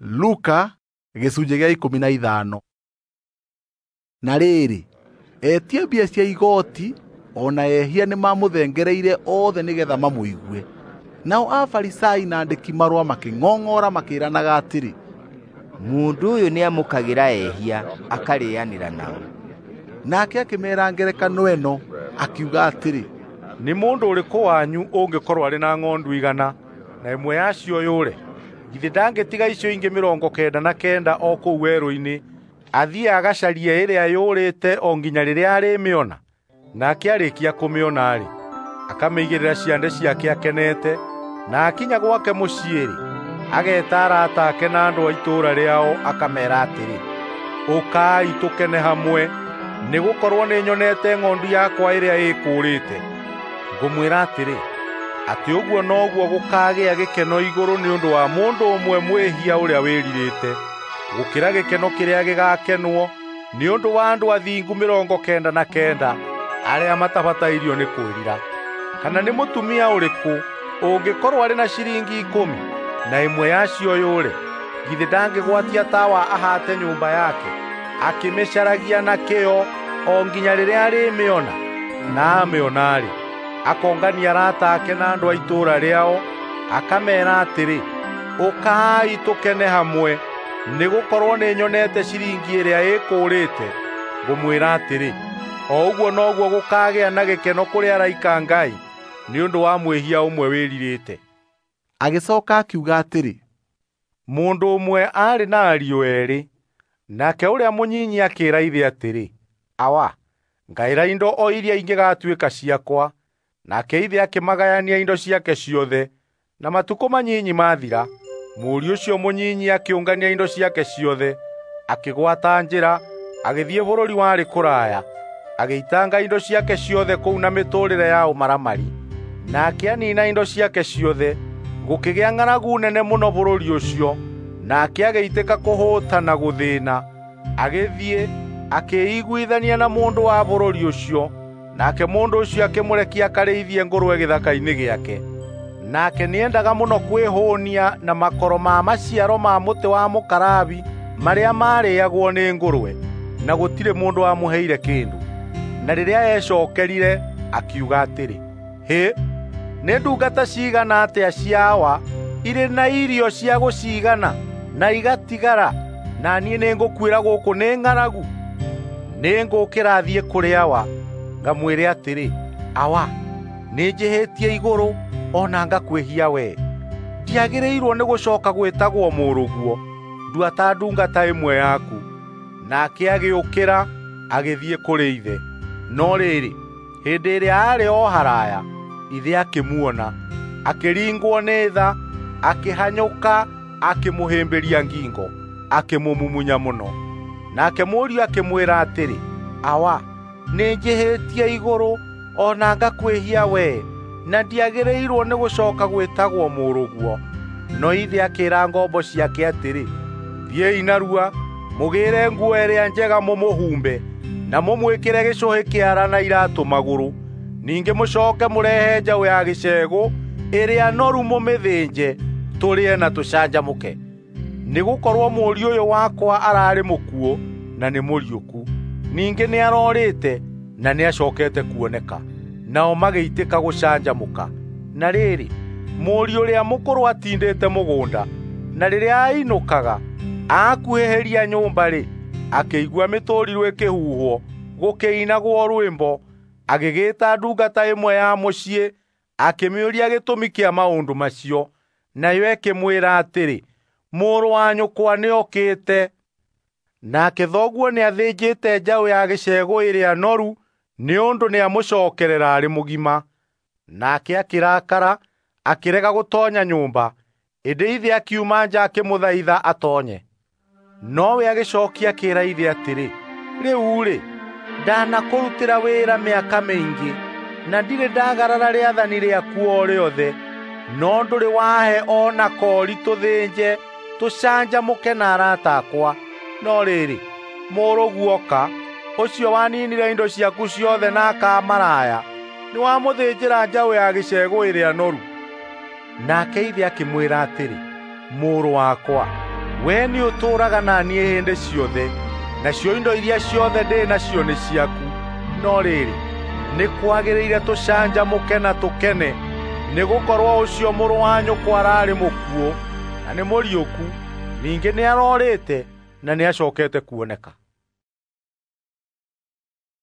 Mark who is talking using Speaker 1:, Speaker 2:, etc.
Speaker 1: Luka gĩcunjĩ gĩa 15. Na rĩrĩ, etia mbia cia igooti o na ehia nĩmamũthengereire othe nĩgeetha mamũigue. Nao Afarisai na andĩki-marũa makĩng'ong'ora makĩĩranaga atĩrĩ,
Speaker 2: "Mũndũ ũyũ nĩamũkagĩra ehia akarĩĩanĩra nao."
Speaker 1: Nake akĩmeera ngerekano ĩno, akiuga atĩrĩ,
Speaker 3: "Nĩ mũndũ ũrĩkũ wanyu ũngĩkorwo arĩ na ng'ondu 100 na ĩmwe yacio yũre, githĩ ndangĩtiga icio ingĩ 99 o kũu werũ-inĩ, athiĩ agacarie ĩrĩa yũrĩte o nginya rĩrĩa arĩmĩona? Nake arĩkia kũmĩona-rĩ, akamĩigĩrĩra ciande ciake akenete, na akinya gwake mũciĩ-rĩ, ageeta arata ake na andũ a itũũra rĩao akameera atĩrĩ, 'Ũkai tũkene hamwe, nĩgũkorwo nĩnyonete ng'ondu yakwa ĩrĩa ĩkũũrĩte.' Ngũmwĩra atĩrĩ, atĩ ũguo noguo gũkaagĩa gĩkeno igũrũ nĩ ũndũ wa mũndũ ũmwe mwĩhia ũrĩa wĩrirĩte, gũkĩra gĩkeno kĩrĩa gĩgaakenwo nĩ ũndũ wa andũ athingu 99 arĩa matabatairio nĩ kwĩrira. Kana nĩ mũtumia ũrĩkũ ũngĩkorwo arĩ na ciringi 10 na ĩmwe yacio yũre, githĩ ndangĩgwatia tawa ahaate nyũmba yake, akĩmĩcaragia na kĩyo o nginya rĩrĩa arĩmĩona? Na amĩona-rĩ, akongania arata ake na andũ a itũũra rĩao, akameera atĩrĩ, 'Ũkai tũkene hamwe, nĩgũkorwo nĩnyonete ciringi ĩrĩa ĩkũũrĩte.' Ngũmwĩra atĩrĩ, o ũguo noguo gũkaagĩa na gĩkeno kũrĩ araika a Ngai nĩ ũndũ wa mwĩhia ũmwe wĩrirĩte."
Speaker 1: Agĩcooka akiuga atĩrĩ,
Speaker 3: "Mũndũ ũmwe aarĩ na ariũ eerĩ. Nake ũrĩa mũnyinyi akĩĩra ithe atĩrĩ, 'Awa, ngaĩra indo o iria ingĩgaatuĩka ciakwa.' Nake ithe akĩmagayania indo ciake ciothe. Na matukũ manyinyi mathira, mũriũ ũcio mũnyinyi akĩũngania indo ciake ciothe, akĩgwata njĩra, agĩthiĩ bũrũri warĩ kũraya, agĩitanga indo ciake ciothe kũu na mĩtũũrĩre ya ũmaramari. Nake aniina indo ciake ciothe, gũkĩgĩa ng'aragu nene mũno bũrũri ũcio, nake agĩitĩka kũhũũta na gũthĩĩna. Agĩthiĩ, akĩĩiguithania na mũndũ wa bũrũri ũcio, nake mũndũ ũcio akĩmũrekia akarĩithie ngũrwe gĩthaka-inĩ gĩake. Nake nĩendaga mũno kwĩhũũnia na makoro ma maciaro ma mũtĩ wa mũkarabi marĩa maarĩĩagwo nĩ ngũrwe, na gũtirĩ mũndũ wamũheire kĩndũ. Na rĩrĩa eecookerire, akiuga atĩrĩ, 'Hĩ, nĩ ndungata ciigana atĩa cia awa irĩ na irio cia gũciigana na igatigara, na niĩ nĩngũkuĩra gũkũ nĩ ng'aragu! Nĩngũũkĩra thiĩ kũrĩ awa, ngamwĩre atĩrĩ, Awa, nĩnjĩhĩtie igũrũ o na ngakwĩhia wee. Ndiagĩrĩirwo nĩ gũcooka gwĩtagwo mũrũguo, ndua ta ndungata ĩmwe yaku.' Nake agĩũkĩra agĩthiĩ kũrĩ ithe. No rĩrĩ, hĩndĩ ĩrĩa aarĩ o haraya, ithe akĩmuona, akĩringwo nĩ tha, akĩhanyũka, akĩmũhĩmbĩria ngingo, akĩmũmumunya mũno. Nake mũriũ akĩmwĩra atĩrĩ, 'Awa, nĩnjĩhĩtie igũrũ o na ngakwĩhia wee, na ndiagĩrĩirwo nĩ gũcooka gwĩtagwo mũrũguo.' No ithe akĩĩra ngombo ciake atĩrĩ, 'Thiĩi narua, mũgĩĩre nguo ĩrĩa njega mũmũhumbe, na mũmwĩkĩre gĩcũhĩ kĩara na iraatũ magũrũ. Ningĩ mũcooke mũrehe njaũ ya gĩcegũ ĩrĩa noru mũmĩthĩnje, tũrĩe na tũcanjamũke. Nĩgũkorwo mũriũ ũyũ wakwa ararĩ mũkuũ na nĩ mũriũku, ningĩ nĩarorĩte na nĩacookete kuoneka.' Nao magĩitĩka gũcanjamũka. Na rĩrĩ, mũriũ ũrĩa mũkũrũ atindĩte mũgũnda, na rĩrĩa ainũkaga, aakuhĩhĩria nyũmba-rĩ, akĩigua mĩtũrirũ ĩkĩhuhwo, gũkĩinagwo rwĩmbo. Agĩgĩĩta ndungata ĩmwe ya mũciĩ, akĩmĩũria gĩtũmi kĩa maũndũ macio. Nayo ĩkĩmwĩra atĩrĩ, 'Mũrũ wa nyũkwa nĩokĩte, nake thoguo nĩathĩnjĩte njaũ ya gĩcegũ ĩrĩa noru nĩ ũndũ nĩamũcookerera arĩ mũgima.' Nake akĩrakara, akĩrega gũtoonya nyũmba. Ĩndĩ ithe akiuma nja akĩmũthaitha atoonye. Nowe agĩcookia akĩĩra ithe atĩrĩ, 'Rĩu-rĩ, ndanakũrutĩra wĩra mĩaka mĩingĩ, na ndirĩ ndagarara rĩathani rĩaku o rĩothe, no ndũrĩ wahe o na koori tũthĩnje tũcanjamũke na arata akwa. No rĩrĩ, mũrũguo oka, ũcio waninire indo ciaku ciothe na akamaraya, nĩwamũthĩnjĩra njaũ ya gĩcegũ ĩrĩa noru.' Nake ithe akĩmwĩra atĩrĩ, 'Mũrũ wakwa, Wee nĩũtũũraga na niĩ hĩndĩ ciothe, nacio indo iria ciothe ndĩ nacio nĩ ciaku. No rĩrĩ, nĩ kwagĩrĩire tũcanjamũke na tũkene, nĩgũkorwo ũcio mũrũ wa nyũkwa ararĩ mũkuũ na nĩ mũriũku, ningĩ nĩarorĩte na nĩacokete kuoneka.